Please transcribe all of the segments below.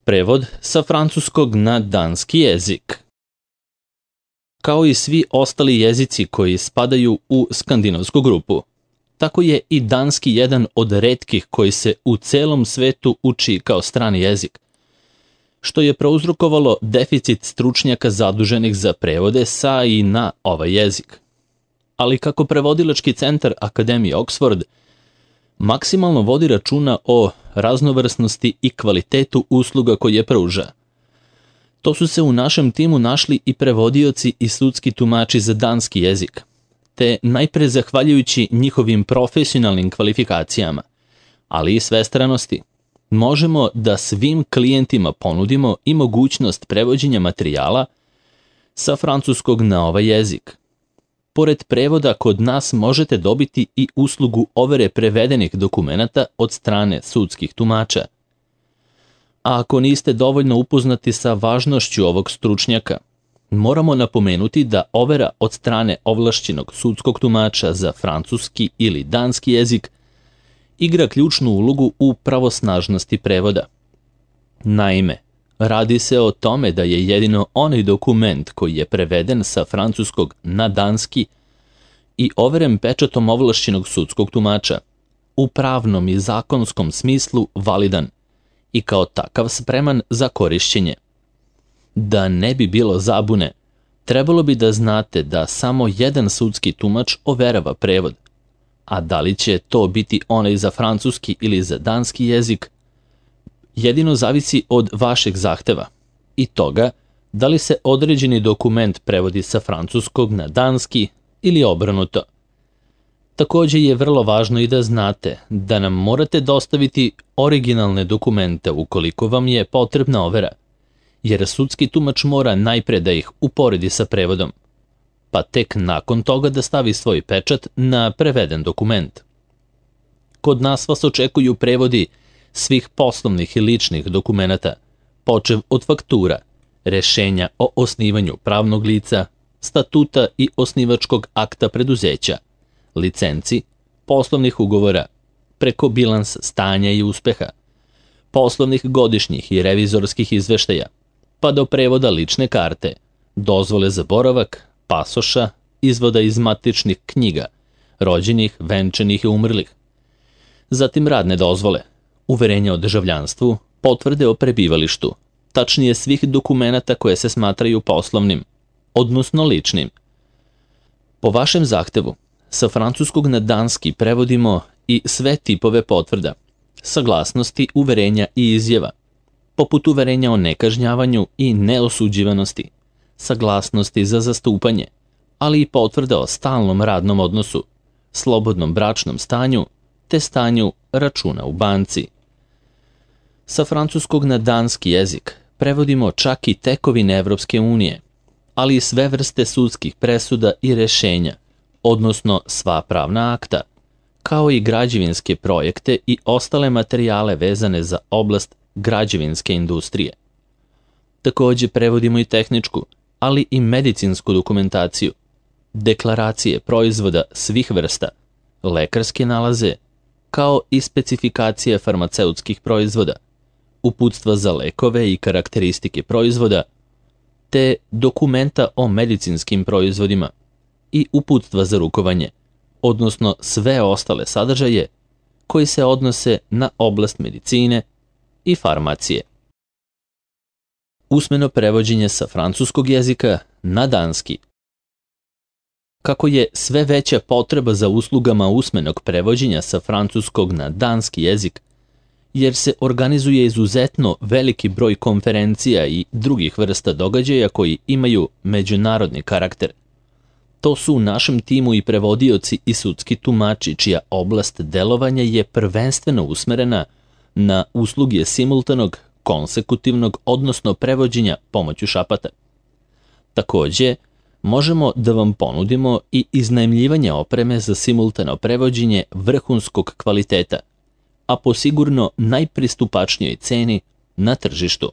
Prevod sa francuskog na danski jezik. Kao i svi ostali jezici koji spadaju u skandinavsku grupu, tako je i danski jedan od retkih koji se u celom svetu uči kao strani jezik, što je prouzrokovalo deficit stručnjaka zaduženih za prevode sa i na ovaj jezik. Ali kako prevodilački centar Akademije Oxford maksimalno vodi računa o raznovrsnosti i kvalitetu usluga koje pruža, to su se u našem timu našli i prevodioci i sudski tumači za danski jezik, te najpre zahvaljujući njihovim profesionalnim kvalifikacijama, ali i svestranosti, možemo da svim klijentima ponudimo i mogućnost prevođenja materijala sa francuskog na ovaj jezik. Pored prevoda, kod nas možete dobiti i uslugu overe prevedenih dokumenata od strane sudskih tumača. A ako niste dovoljno upoznati sa važnošću ovog stručnjaka, moramo napomenuti da overa od strane ovlašćenog sudskog tumača za francuski ili danski jezik igra ključnu ulogu u pravosnažnosti prevoda. Naime, radi se o tome da je jedino onaj dokument koji je preveden sa francuskog na danski i overen pečatom ovlašćenog sudskog tumača u pravnom i zakonskom smislu validan i kao takav spreman za korišćenje. Da ne bi bilo zabune, trebalo bi da znate da samo jedan sudski tumač overava prevod, a da li će to biti onaj za francuski ili za danski jezik, jedino zavisi od vašeg zahteva i toga da li se određeni dokument prevodi sa francuskog na danski ili obrnuto. Takođe je vrlo važno i da znate da nam morate dostaviti originalne dokumente ukoliko vam je potrebna overa, jer sudski tumač mora najpre da ih uporedi sa prevodom, pa tek nakon toga da stavi svoj pečat na preveden dokument. Kod nas vas očekuju prevodi svih poslovnih i ličnih dokumenata, počev od faktura, rešenja o osnivanju pravnog lica, statuta i osnivačkog akta preduzeća, licenci, poslovnih ugovora, preko bilans stanja i uspeha, poslovnih godišnjih i revizorskih izveštaja, pa do prevoda lične karte, dozvole za boravak, pasoša, izvoda iz matičnih knjiga, rođenih, venčanih i umrlih. Zatim radne dozvole, uverenja o državljanstvu, potvrde o prebivalištu, tačnije svih dokumenata koje se smatraju poslovnim, odnosno ličnim. Po vašem zahtevu, sa francuskog na danski prevodimo i sve tipove potvrda, saglasnosti, uverenja i izjava, poput uverenja o nekažnjavanju i neosuđivanosti, saglasnosti za zastupanje, ali i potvrda o stalnom radnom odnosu, slobodnom bračnom stanju te stanju računa u banci. Sa francuskog na danski jezik prevodimo čak i tekovine Evropske unije, ali i sve vrste sudskih presuda i rešenja, odnosno sva pravna akta, kao i građevinske projekte i ostale materijale vezane za oblast građevinske industrije. Takođe prevodimo i tehničku, ali i medicinsku dokumentaciju, deklaracije proizvoda svih vrsta, lekarske nalaze, kao i specifikacije farmaceutskih proizvoda, uputstva za lekove i karakteristike proizvoda, te dokumenta o medicinskim proizvodima i uputstva za rukovanje, odnosno sve ostale sadržaje koji se odnose na oblast medicine i farmacije. Usmeno prevođenje sa francuskog jezika na danski. Kako je sve veća potreba za uslugama usmenog prevođenja sa francuskog na danski jezik, jer se organizuje izuzetno veliki broj konferencija i drugih vrsta događaja koji imaju međunarodni karakter. To su u našem timu i prevodioci i sudski tumači čija oblast delovanja je prvenstveno usmerena na usluge simultanog, konsekutivnog, odnosno prevođenja pomoću šapata. Takođe, možemo da vam ponudimo i iznajmljivanje opreme za simultano prevođenje vrhunskog kvaliteta, a po sigurno najpristupačnijoj ceni na tržištu.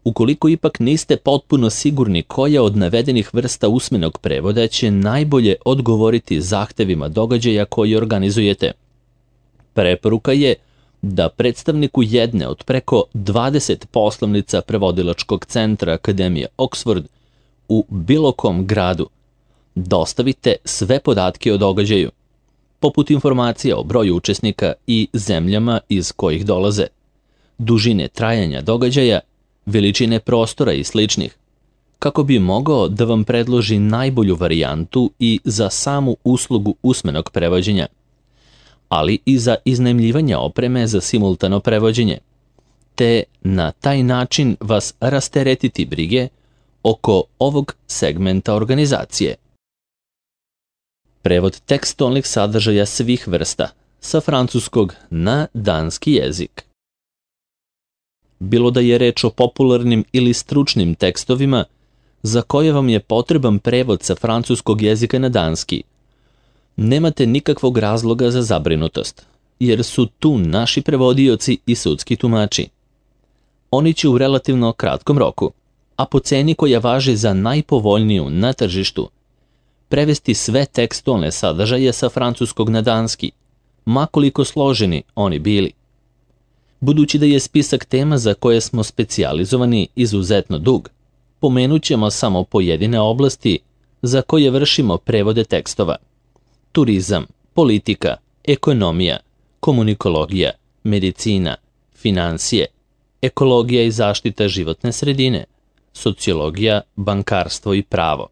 Ukoliko ipak niste potpuno sigurni koja od navedenih vrsta usmenog prevoda će najbolje odgovoriti zahtevima događaja koji organizujete, preporuka je da predstavniku jedne od preko 20 poslovnica prevodilačkog centra Akademije Oxford u bilo kom gradu dostavite sve podatke o događaju, poput informacija o broju učesnika i zemljama iz kojih dolaze, dužine trajanja događaja, veličine prostora i sličnih, kako bi mogao da vam predloži najbolju varijantu i za samu uslugu usmenog prevođenja, ali i za iznajmljivanje opreme za simultano prevođenje, te na taj način vas rasteretiti brige oko ovog segmenta organizacije. Prevod tekstualnih sadržaja svih vrsta sa francuskog na danski jezik. Bilo da je reč o popularnim ili stručnim tekstovima za koje vam je potreban prevod sa francuskog jezika na danski, nemate nikakvog razloga za zabrinutost, jer su tu naši prevodioci i sudski tumači. Oni će u relativno kratkom roku, a po ceni koja važi za najpovoljniju na tržištu, prevesti sve tekstualne sadržaje sa francuskog na danski, makoliko složeni oni bili. Budući da je spisak tema za koje smo specijalizovani izuzetno dug, pomenut ćemo samo pojedine oblasti za koje vršimo prevode tekstova: turizam, politika, ekonomija, komunikologija, medicina, finansije, ekologija i zaštita životne sredine, sociologija, bankarstvo i pravo,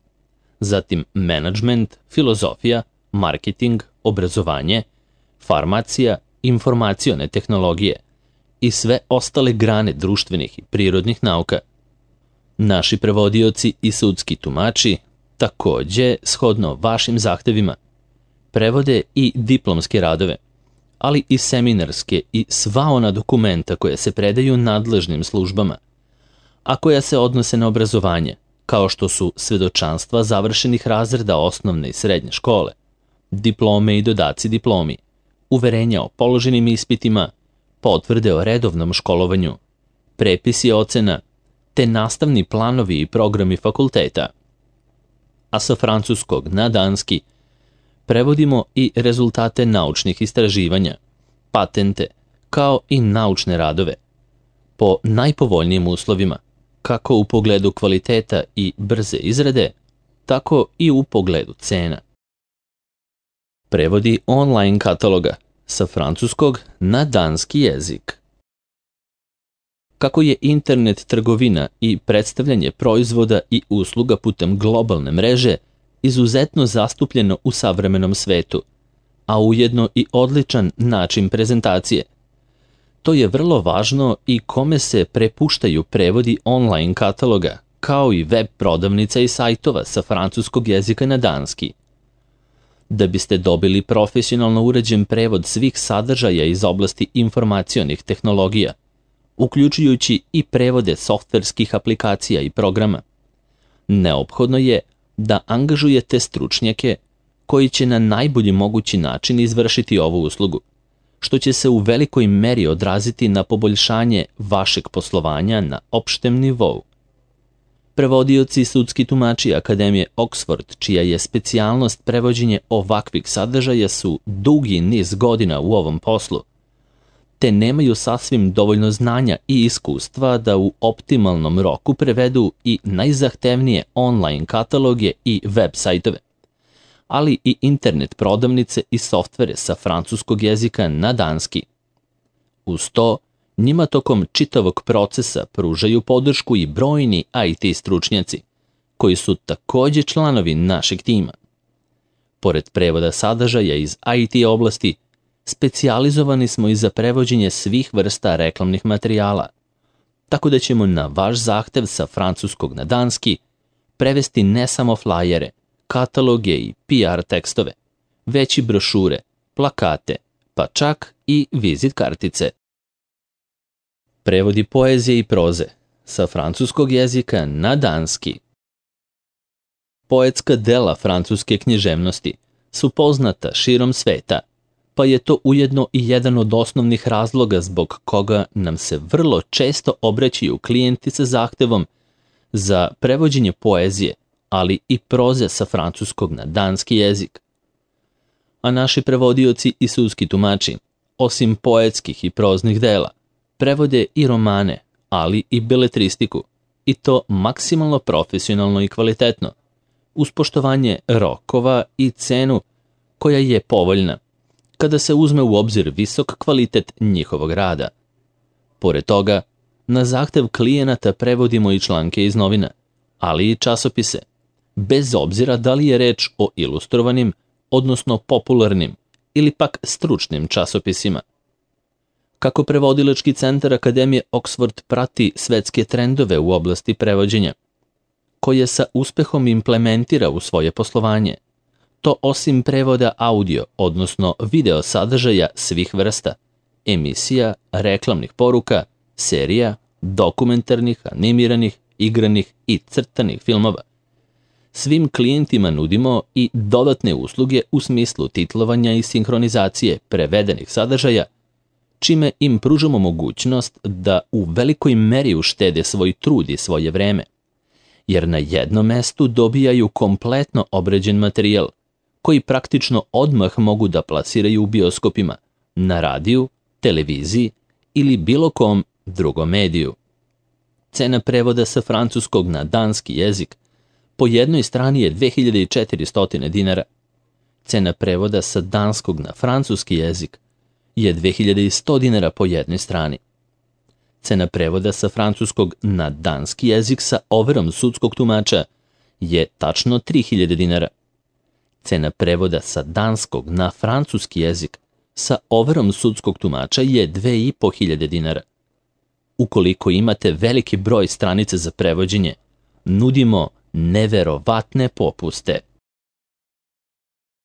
zatim menadžment, filozofija, marketing, obrazovanje, farmacija, informacione tehnologije i sve ostale grane društvenih i prirodnih nauka. Naši prevodioci i sudski tumači takođe, shodno vašim zahtevima, prevode i diplomske radove, ali i seminarske i sva ona dokumenta koja se predaju nadležnim službama, a koja se odnose na obrazovanje, kao što su svedočanstva završenih razreda osnovne i srednje škole, diplome i dodaci diplomi, uverenja o položenim ispitima, potvrde o redovnom školovanju, prepisi ocena, te nastavni planovi i programi fakulteta. A sa francuskog na danski prevodimo i rezultate naučnih istraživanja, patente, kao i naučne radove, po najpovoljnijim uslovima, kako u pogledu kvaliteta i brze izrade, tako i u pogledu cena. Prevodi online kataloga sa francuskog na danski jezik. Kako je internet trgovina i predstavljanje proizvoda i usluga putem globalne mreže izuzetno zastupljeno u savremenom svetu, a ujedno i odličan način prezentacije, to je vrlo važno i kome se prepuštaju prevodi online kataloga, kao i web prodavnica i sajtova sa francuskog jezika na danski. Da biste dobili profesionalno uređen prevod svih sadržaja iz oblasti informacionih tehnologija, uključujući i prevode softverskih aplikacija i programa, neophodno je da angažujete stručnjake koji će na najbolji mogući način izvršiti ovu uslugu, što će se u velikoj meri odraziti na poboljšanje vašeg poslovanja na opštem nivou. Prevodioci i sudski tumači Akademije Oxford, čija je specijalnost prevođenje ovakvih sadržaja, su dugi niz godina u ovom poslu, te nemaju sasvim dovoljno znanja i iskustva da u optimalnom roku prevedu i najzahtevnije online kataloge i web sajtove, ali i internet prodavnice i softvere sa francuskog jezika na danski. Uz to, njima tokom čitavog procesa pružaju podršku i brojni IT stručnjaci, koji su takođe članovi našeg tima. Pored prevoda sadržaja iz IT oblasti, specijalizovani smo i za prevođenje svih vrsta reklamnih materijala, tako da ćemo na vaš zahtev sa francuskog na danski prevesti ne samo flajere, kataloge i PR tekstove, već i brošure, plakate, pa čak i vizit kartice. Prevodi poezije i proze sa francuskog jezika na danski. Poetska dela francuske književnosti su poznata širom sveta, pa je to ujedno i jedan od osnovnih razloga zbog koga nam se vrlo često obraćaju klijenti sa zahtevom za prevođenje poezije, ali i proze sa francuskog na danski jezik. A naši prevodioci i sudski tumači osim poetskih i proznih dela, prevode i romane, ali i beletristiku, i to maksimalno profesionalno i kvalitetno, uz poštovanje rokova i cenu koja je povoljna, kada se uzme u obzir visok kvalitet njihovog rada. Pored toga, na zahtev klijenata prevodimo i članke iz novina, ali i časopise, bez obzira da li je reč o ilustrovanim, odnosno popularnim ili pak stručnim časopisima. Kako prevodilački centar Akademije Oxford prati svetske trendove u oblasti prevođenja, koje sa uspehom implementira u svoje poslovanje, to osim prevoda audio, odnosno video sadržaja svih vrsta, emisija, reklamnih poruka, serija, dokumentarnih, animiranih, igranih i crtanih filmova, svim klijentima nudimo i dodatne usluge u smislu titlovanja i sinhronizacije prevedenih sadržaja, čime im pružamo mogućnost da u velikoj meri uštede svoj trud i svoje vreme, jer na jednom mestu dobijaju kompletno obrađen materijal, koji praktično odmah mogu da plasiraju u bioskopima, na radiju, televiziji ili bilo kom drugom mediju. Cena prevoda sa francuskog na danski jezik po jednoj strani je 2400 dinara. Cena prevoda sa danskog na francuski jezik je 2100 dinara po jednoj strani. Cena prevoda sa francuskog na danski jezik sa overom sudskog tumača je tačno 3000 dinara. Cena prevoda sa danskog na francuski jezik sa overom sudskog tumača je 2500 dinara. Ukoliko imate veliki broj stranica za prevođenje, nudimo neverovatne popuste.